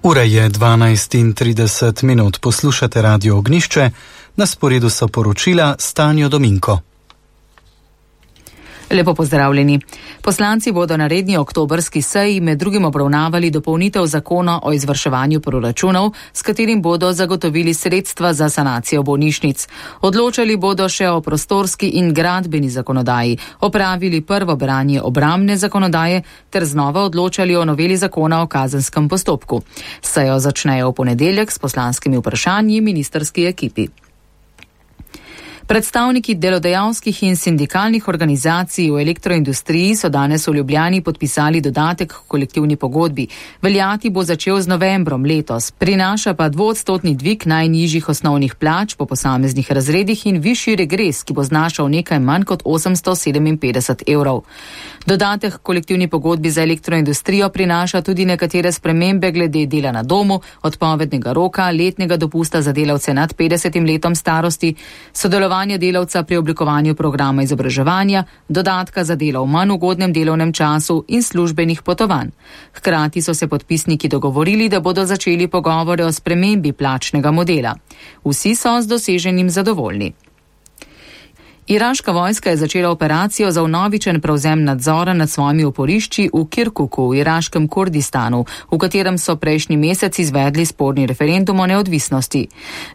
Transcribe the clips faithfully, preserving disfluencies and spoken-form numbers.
Ura je dvanajst in trideset minut, poslušate Radio Ognjišče, na sporedu so poročila Stanjo Dominko. Lepo pozdravljeni. Poslanci bodo na redni oktobrski seji med drugim obravnavali dopolnitev zakona o izvrševanju proračunov, s katerim bodo zagotovili sredstva za sanacijo bolnišnic. Odločali bodo še o prostorski in gradbeni zakonodaji, opravili prvo branje obrambne zakonodaje ter znova odločali o noveli zakona o kazenskem postopku. Sejo začnejo v ponedeljek s poslanskimi vprašanji ministrski ekipi. Predstavniki delodajalskih in sindikalnih organizacij v elektroindustriji so danes v Ljubljani podpisali dodatek k kolektivni pogodbi. Veljati bo začel z novembrom letos, prinaša pa dvoodstotni dvig najnižjih osnovnih plač po posameznih razredih in višji regres, ki bo znašal nekaj manj kot osemsto sedeminpetdeset evrov. Dodatek k kolektivni pogodbi za elektroindustrijo prinaša tudi nekatere spremembe glede dela na domu, odpovednega roka, letnega dopusta za delavce nad petdesetim letom starosti, sodelovanje delavca pri oblikovanju programa izobraževanja, dodatka za delo v manj ugodnem delovnem času in službenih potovanj. Hkrati so se podpisniki dogovorili, da bodo začeli pogovore o spremembi plačnega modela. Vsi so z doseženim zadovoljni. Iraška vojska je začela operacijo za vnovičen prevzem nadzora nad svojimi oporišči v Kirkuku v iraškem Kurdistanu, v katerem so prejšnji mesec izvedli sporni referendum o neodvisnosti.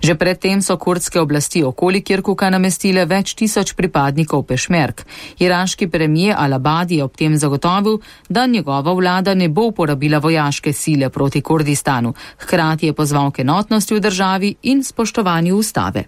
Že predtem so kurdske oblasti okoli Kirkuka namestile več tisoč pripadnikov pešmerg. Iraški premijer Al-Abadi je ob tem zagotovil, da njegova vlada ne bo uporabila vojaške sile proti Kurdistanu. Hkrati je pozval k enotnosti v državi in spoštovanju ustave.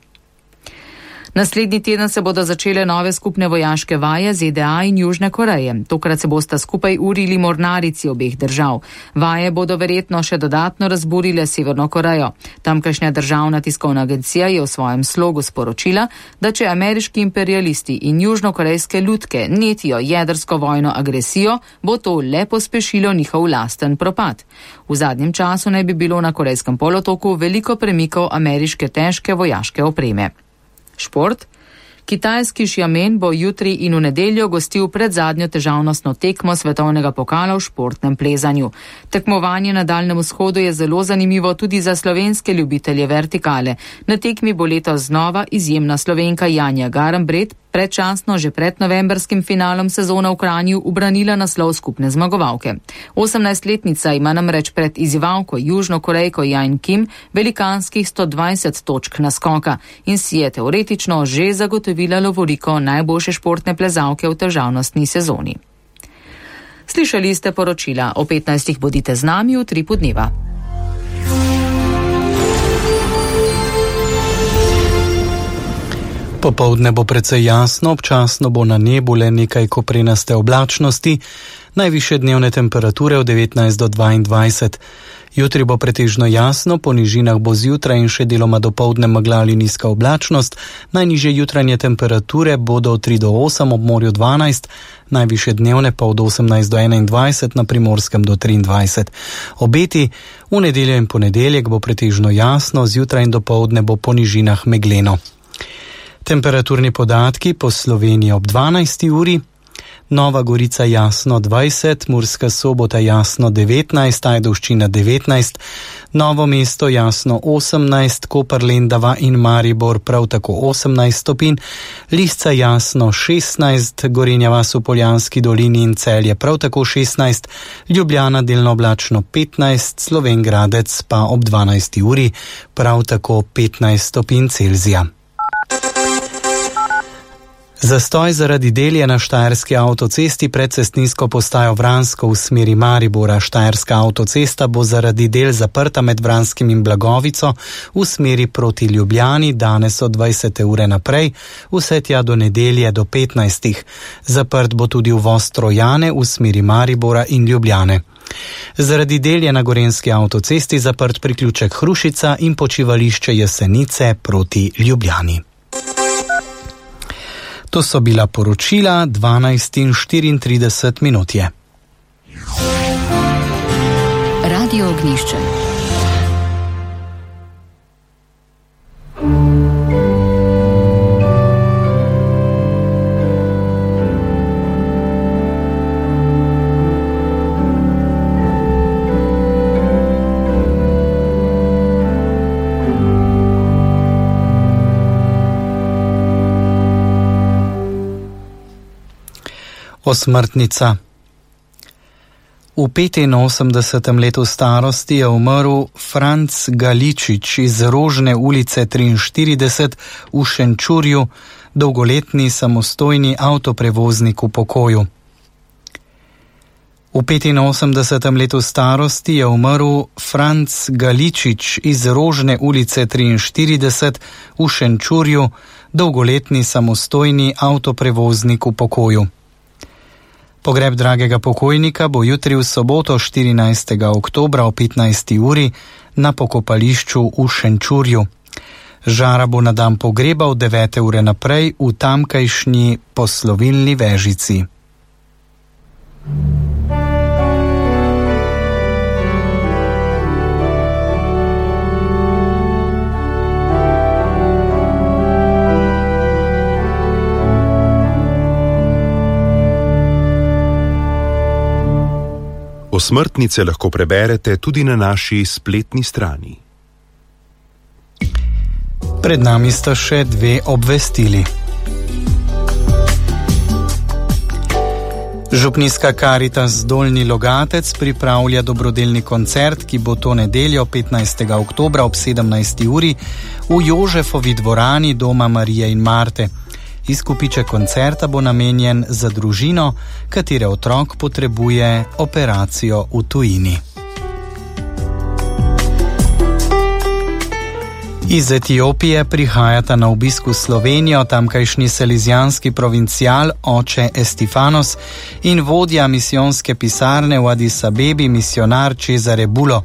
Naslednji teden se bodo začele nove skupne vojaške vaje Z D A in Južne Koreje. Tokrat se bosta skupaj urili mornarici obeh držav. Vaje bodo verjetno še dodatno razburile Severno Korejo. Tamkajšnja državna tiskovna agencija je v svojem slogu sporočila, da če ameriški imperialisti in južnokorejske lutke netijo jedrsko vojno agresijo, bo to le pospešilo njihov lasten propad. V zadnjem času naj bi bilo na Korejskem polotoku veliko premikov ameriške težke vojaške opreme. Šport. Kitajski Xiamen bo jutri in v nedeljo gostil predzadnjo težavnostno tekmo svetovnega pokala v športnem plezanju. Tekmovanje na Daljnem vzhodu je zelo zanimivo tudi za slovenske ljubitelje vertikale. Na tekmi bo letos znova izjemna Slovenka Janja Garnbret, predčasno že pred novembrskim finalom sezona v Kranju ubranila naslov skupne zmagovalke. osemnajstletnica ima namreč pred izzivalko Južnokorejko Jane Kim velikanskih sto dvajset točk naskoka in si je teoretično že zagotovila lovoriko najboljše športne plezalke v težavnostni sezoni. Slišali ste poročila, o petnajstih bodite z nami v Tripu dneva. Popoldne bo precej jasno, občasno bo na nebu le nekaj koprenaste oblačnosti, najvišje dnevne temperature od devetnajst do dvaindvajset. Jutri bo pretežno jasno, po nižinah bo zjutraj in še deloma dopoldne megla ali nizka oblačnost, najnižje jutranje temperature bodo od tri do osem, ob morju dvanajst, najvišje dnevne pa od osemnajst do enaindvajset, na Primorskem do triindvajset. Obeti v nedeljo in ponedeljek bo pretežno jasno, zjutraj in dopoldne bo po nižinah megleno. Temperaturni podatki po Sloveniji ob dvanajsti uri. Nova Gorica jasno dvajset, Murska Sobota jasno devetnajst, Ajdovščina devetnajst, Novo mesto jasno osemnajst, Koper, Lendava in Maribor prav tako osemnajst stopinj, Lisca jasno šestnajst, Gorenja vas v Poljanski dolini in Celje prav tako šestnajst, Ljubljana delno oblačno petnajst, Slovenj Gradec pa ob dvanajsti uri prav tako petnajst stopinj Celzija. Zastoj zaradi del je na štajerski avtocesti pred cestninsko postajo Vransko v smeri Maribora. Štajerska avtocesta bo zaradi del zaprta med Vranskim in Blagovico v smeri proti Ljubljani danes od dvajsete ure naprej, vse tja do nedelje do petnajstih. Zaprt bo tudi uvoz Trojane v smeri Maribora in Ljubljane. Zaradi del je na gorenjski avtocesti zaprt priključek Hrušica in počivališče Jesenice proti Ljubljani. To so bila poročila, dvanajst in štiriintrideset minut je. Radio Ognjišče. Osmrtnica. V petinosemdesetem letu starosti je umrl Franc Galičič iz Rožne ulice triinštirideset v Šenčurju, dolgoletni samostojni avtoprevoznik v pokoju. V petinosemdesetem letu starosti je umrl Franc Galičič iz Rožne ulice triinštirideset v Šenčurju, dolgoletni samostojni avtoprevoznik v pokoju. Pogreb dragega pokojnika bo jutri v soboto štirinajstega oktobra o petnajsti uri na pokopališču v Šenčurju. Žara bo na dan pogreba od devete ure naprej v tamkajšnji poslovilni vežici. Osmrtnice lahko preberete tudi na naši spletni strani. Pred nami sta še dve obvestili. Župnijska Karitas Dolnji Logatec pripravlja dobrodelni koncert, ki bo to nedeljo petnajstega oktobra ob sedemnajsti uri v Jožefovi dvorani Doma Marije in Marte. Izkupiček koncerta bo namenjen za družino, katere otrok potrebuje operacijo v tujini. Iz Etiopije prihajata na obisk v Slovenijo tamkajšnji salizijanski provincial oče Estifanos in vodja misijonske pisarne v Adis Abebi misionar Cesare Bulo.